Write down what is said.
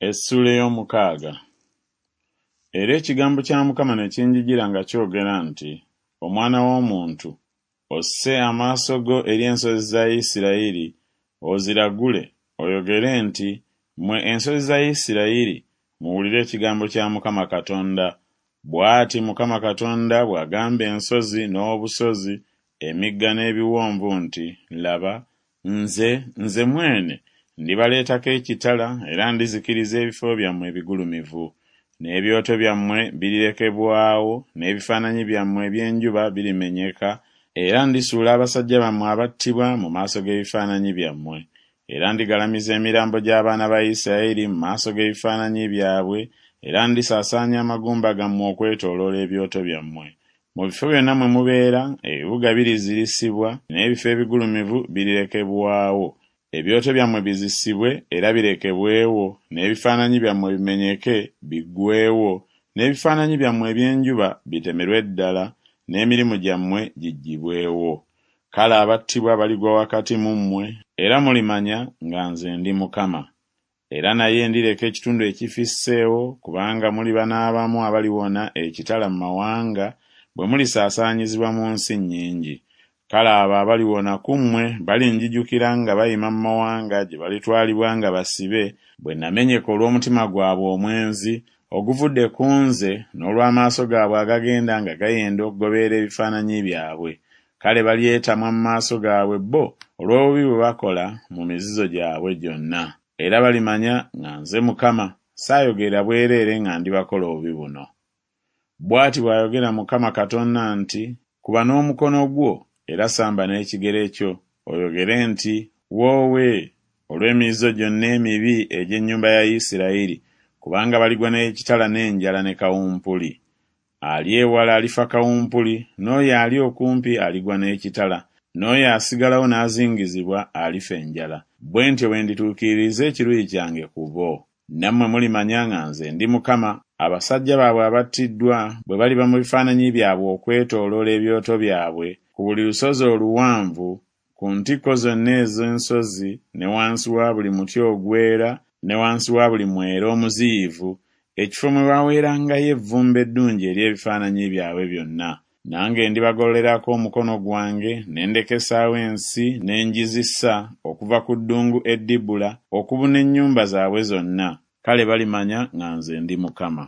Essuula ey'omukaaga. Era ekigambo kya Mukama ne kinjijira nga kyogera nti Omwana w'omuntu, osse amaaso go eri ensozi za Isirayiri, oziragule, oyogere nti Mmwe ensozi za Isirayiri, muwulire ekigambo kya Mukama Katonda. Bw'ati Mukama Katonda bw'agamba ensozi n'obusozi, emigga n'ebiwonvu nti Laba, nze, nze mwene, ndibaleetako ekitala era ndizikiriza ebifo byammwe ebigulumivu. N'ebyoto byammwe birirekebwawo, n'ebifaananyi byammwe eby'enjuba birimenyeka, era ndisuula abasajja bammwe abattibwa mu maaso g'ebifaananyi byammwe. Era ndigalamiza emirambo gy'abaana ba Isirayiri mu maaso g'ebifaananyi byabwe, era ndisaasaanya amagumba gammwe okwetooloola ebyoto byammwe. Mu bifo byonna mwe mubeera, ebibuga birizirisibwa, n'ebifo ebigulumivu birirekebwawo, ebyoto byammwe bizisibwe era birekebwewo, n'ebifaananyi byammwe bimenyeke biggweewo, n'ebifaananyi byammwe eby'enjuba bitemerwe ddala, n'emirimu gyammwe giggyibwewo. Kale abattibwa baligwa wakati mu mmwe, era mulimanya nga nze ndi Mukama. Era naye ndireka ekitundu ekifisseewo, kubanga muliba n'abamu abaliwona ekitala mu mawanga, bwe mulisaasaanyizibwa mu nsi nnyingi. Kale abo abaliwona ku mmwe balinjijukira nga bayima mu mawanga gye balitwalibwa nga basibe, bwe namenyeka olw'omutima gwabwe omwenzi oguvudde ku nze n'olw'amaaso gaabwe agagenda nga gayenda okugoberera ebifaananyi byabwe. Kale balyetamwa mu maaso gaabwe bo olw'obubi bwe bakola mu mizizo gyabwe gyonna. Era balimanya nga nze Mukama saayogerera bwereere nga ndibakola obubi buno. Bw'ati bw'ayogera Mukama Katonda nti Kuba n'omukono gwo era samba n'ekigere kyo, oyogere nti Woowe, olw'emizizo gyonna emibi egy'ennyumba ya Isirayiri, kubanga baligwa n'ekitala n'enjala ne kawumpuli. Ali ewala alifa kawumpuli, n'oyo ali okumpi aligwa n'ekitala, n'oyo asigalawo n'azingizibwa alifa enjala. Bwe ntyo bwe ndituukiririza ekiruyi kyange ku bo. Nammwe mulimanya nga nze ndi Mukama, abasajja baabwe abattiddwa bwe baliba mu bifaananyi byabwe okwetooloola ebyoto byabwe, ku buli lusozi oluwanvu, ku ntikko zonna ez'ensozi, ne wansi wa buli muti ogwera, ne wansi wa buli mwera omuziyivu, ekifo mwe baweerangayo evvumbe eddungi ery'ebifaananyi byabwe byonna. Nange ndibagololerako omukono gwange, ne ndekesaawo ensi ne ngizisa, okuva ku ddungu e Dibula okubuna ennyumba zaabwe zonna, kale balimanya nga nze ndi Mukama.